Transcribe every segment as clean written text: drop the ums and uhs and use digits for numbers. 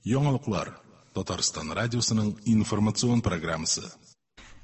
Яңалыклар. Татарстан радиосының информацион программасы.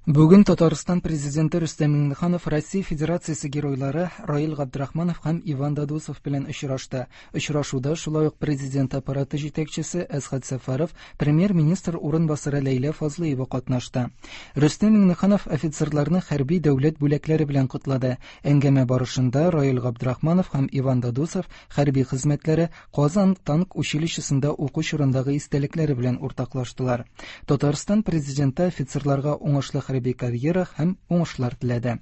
Бүген Татарстан президенты Рөстәм Миңнеханов Россия Федерациясе геройлары Раил Габдрахманов һәм Иван Дадусов белән очрашты. Очрашуда шулай ук президент аппараты җитәкчесе Әсхәт Сәфәров, премьер-министр урынбасары Ләйлә Фазлыева катнашты. Рөстәм Миңнеханов офицерларны хәрби дәүләт бүләкләре белән котлады. Әңгәмә барышында Раил Габдрахманов һәм Иван Дадусов хәрби хезмәтләре, Казан танк училищесында уку чорындагы истәлекләре белән уртаклаштылар. Татарстан президенты офицерларга уңышлы хәрби карьера һәм уңышлар теләде.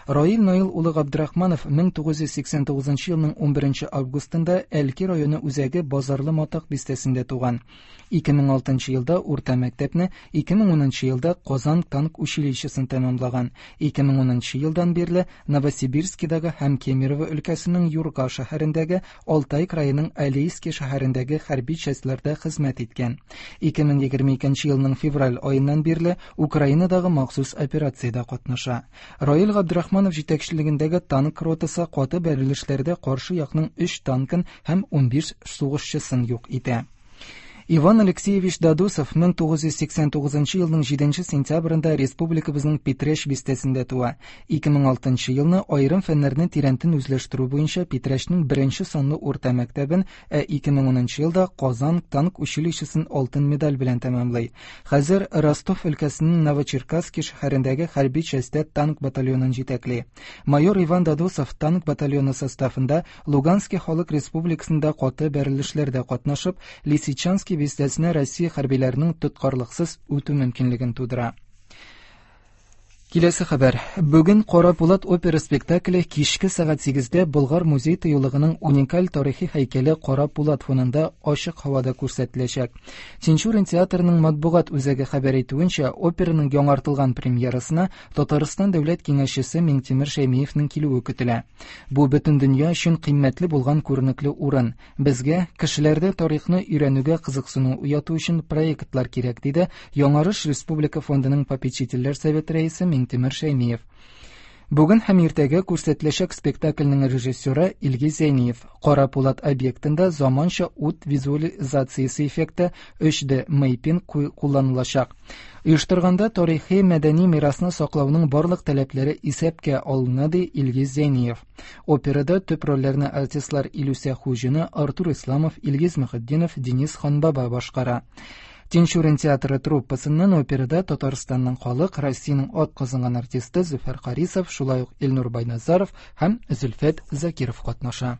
Раил Наил улы Габдрахманов 1989 елның 11 августында Әлки районы үзәге Базарлы Матак бистәсендә туган. 2006 елда урта мәктәпне, 2010 елда Казан танк училищесын тәмамлаган. 2010 елдан бирле Новосибирскидагы һәм Кемерово өлкәсенең Юрга шәһәрендәге Алтай краеның Алейский шәһәрендәге хәрби частьләрдә хезмәт иткән. 2022 елның февраль аеннан бирле Украинадагы махсус операциядә катнаша. Раил Габдрахманов җитәкчелегендәге танк ротасы каты бәрелешләрдә каршы якның 3 танкын һәм 15 сугышчысын юк итә. Иван Алексеевич Дадусов 1989 елның 7 сентябрендә республикабызның Питрәч бистәсендә туа. 2006 елны аерым фәннәрне тирәнтен үзләштерү буенча Питрәчнең беренче санлы урта мәктәбен, ә 2010 елда Казан танк училищесын алтын медаль белән тәмамлый. Хәзер Ростов өлкәсенең Новочеркасский шәһәрендәге хәрби частьтә танк батальонын җитәкли. Майор Иван Дадусов танк батальоны составында Луганский халык республикасында каты бәрелешләрдә катнашып, Лисичанский бистәсенә Россия хәрбиләренең тоткарлыксыз үтү мөмкинлеген тудыра. Киләсе хәбәр. Бүген Кара Пулат опера спектакле кичке сәгать 8-дә Болгар музей тыюлыгының уникаль тарихи һәйкәле Кара Пулат фонында ачык һавада күрсәтеләчәк. Тинчурин театрының матбугат үзәге хәбәр итүенчә, операның яңартылган премьерасына Татарстан дәүләт киңәшчесе Миңтимер Шәймиевнең килүе көтелә. Бу бөтен дөнья өчен кыйммәтле булган күренекле урын. Безгә кешеләрдә тарихны өйрәнүгә кызыксыну уяту өчен проектлар кирәк, диде Яңарыш республика фондының попечительләр советы рәисе Миңтимер Шәймиев. Бүген һәм иртәгә күрсәтеләчәк спектакльнең режиссеры Илгиз Зәйниев. Кара Пулат объектында заманча ут визуализациясе эффекты 3D мейпинг кулланылачак. Оештырганда тарихи мәдәни мирасны саклауның барлык таләпләре исәпкә алына, ди Илгиз Зәйниев. Операда төп рольләрне артистлар Илүсә Хуҗина, Артур Исламов, Илгиз Мөхетдинов, Денис Ханбаба башкара. Тинчурин театры труппасыннан операда Татарстанның халык, Россиянең ат казанган артисты Зөфәр Харисов, шулай ук Илнур Байназаров һәм Зөлфәт Закиров катнаша.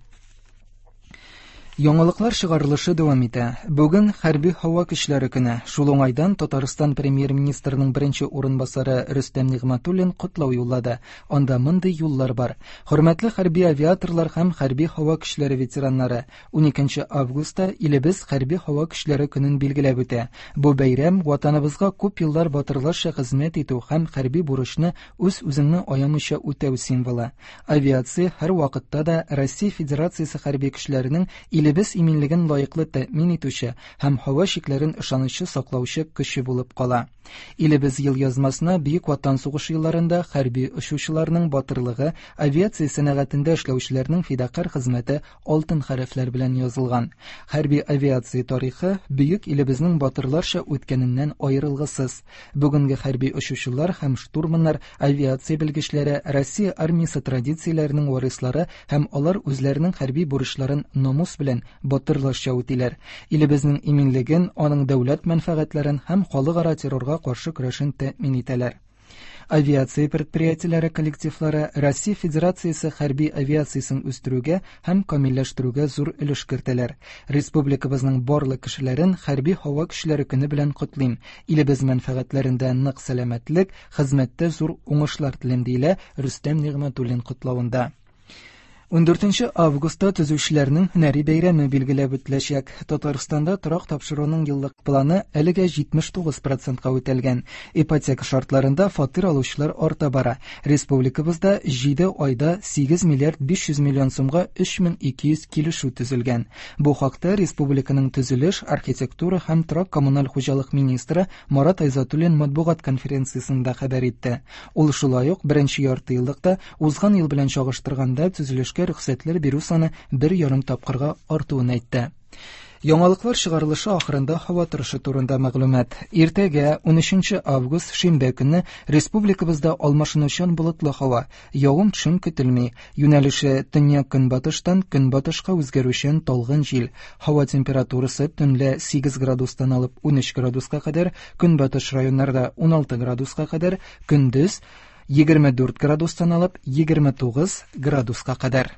Яңалыклар чыгарылышы дәвам итә. Бүген хәрби һава көчләре көне. Шул уңайдан Татарстан премьер-министрының беренче урынбасары Рөстәм Нигъмәтуллин котлау юллады. Анда мондый юллар бар. Хөрмәтле хәрби авиаторлар һәм хәрби һава көчләре ветераннары, 12 августта илебез хәрби һава көчләре көнен билгеләп үтә. Бу бәйрәм Ватаныбызга күп еллар батырларча хезмәт итү һәм хәрби бурычны үз-үзеңне аямыйча үтәү символы. Авиация һәрвакытта да Россия Федерациясе хәрби көчләренең илебез иминлеген лаеклы тәэмин итүче һәм һава чикләрен ышанычлы саклаучы көче булып кала. Илебез елъязмасына Бөек Ватан сугышы елларында хәрби очучыларның батырлыгы, авиация сәнәгатендә эшләүчеләрнең фидакарь хезмәте алтын хәрефләр белән язылган. Хәрби авиация тарихы бөек илебезнең батырларча үткәненнән аерылгысыз. Бүгенге хәрби очучылар һәм штурманнар, авиация белгечләре Россия армиясе традицияләренең варислары һәм алар үзләренең хәрби бурычларын намус белән, батырларча үтиләр. Илебезнең иминлеген, аның дәүләт мәнфәгатьләрен һәм халыкара террорга каршы көрәшен тәэмин итәләр. Авиация предприятиеләре коллективлары Россия Федерациясе хәрби авиациясен үстерүгә һәм камилләштерүгә зур өлеш кертәләр. Республикабызның барлык кешеләрен хәрби һава көчләре көне белән котлыйм. Илебез мәнфәгатьләрендә нык сәламәтлек, хезмәттә зур уңышлар телим, диелә Рөстәм Нигъмәтуллин котлавында. 14 августта төзүчеләрнең һөнәри бәйрәме билгеләп үтеләчәк. Татарстанда торак тапшыруның еллык планы әлегә 79 процентка үтәлгән. Ипотека шартларында фатир алучылар арта бара. Республикабызда 7 айда 8 миллиард 500 миллион сумга 3200 килешү төзелгән. Бу хакта республиканың төзелеш, архитектура һәм торак-коммуналь хуҗалык министры Марат Айзатуллин матбугат конференциясендә хәбәр итте. Ул шулай ук беренче яртыеллыкта узган ел белән чагыштырганда төзелешкә рөхсәтләр бирү саны 1,5 тапкырга артуын әйтте. Яңалыклар чыгарылышы ахырында һава торышы турында мәгълүмат. Иртәгә, 13 август, шимбә көнне республикабызда алмашынучан болытлы һава, явым-төшем көтелми. Юнәлеше төньяк-көнбатыштан көнбатышка үзгәрүчән талгын җил. Һава температурасы төнлә 8 градустан алып 13 градуска кадәр, көнбатыш районнарда 16 градуска кадәр, көндез 24 градустан алып 29 градуска кадәр.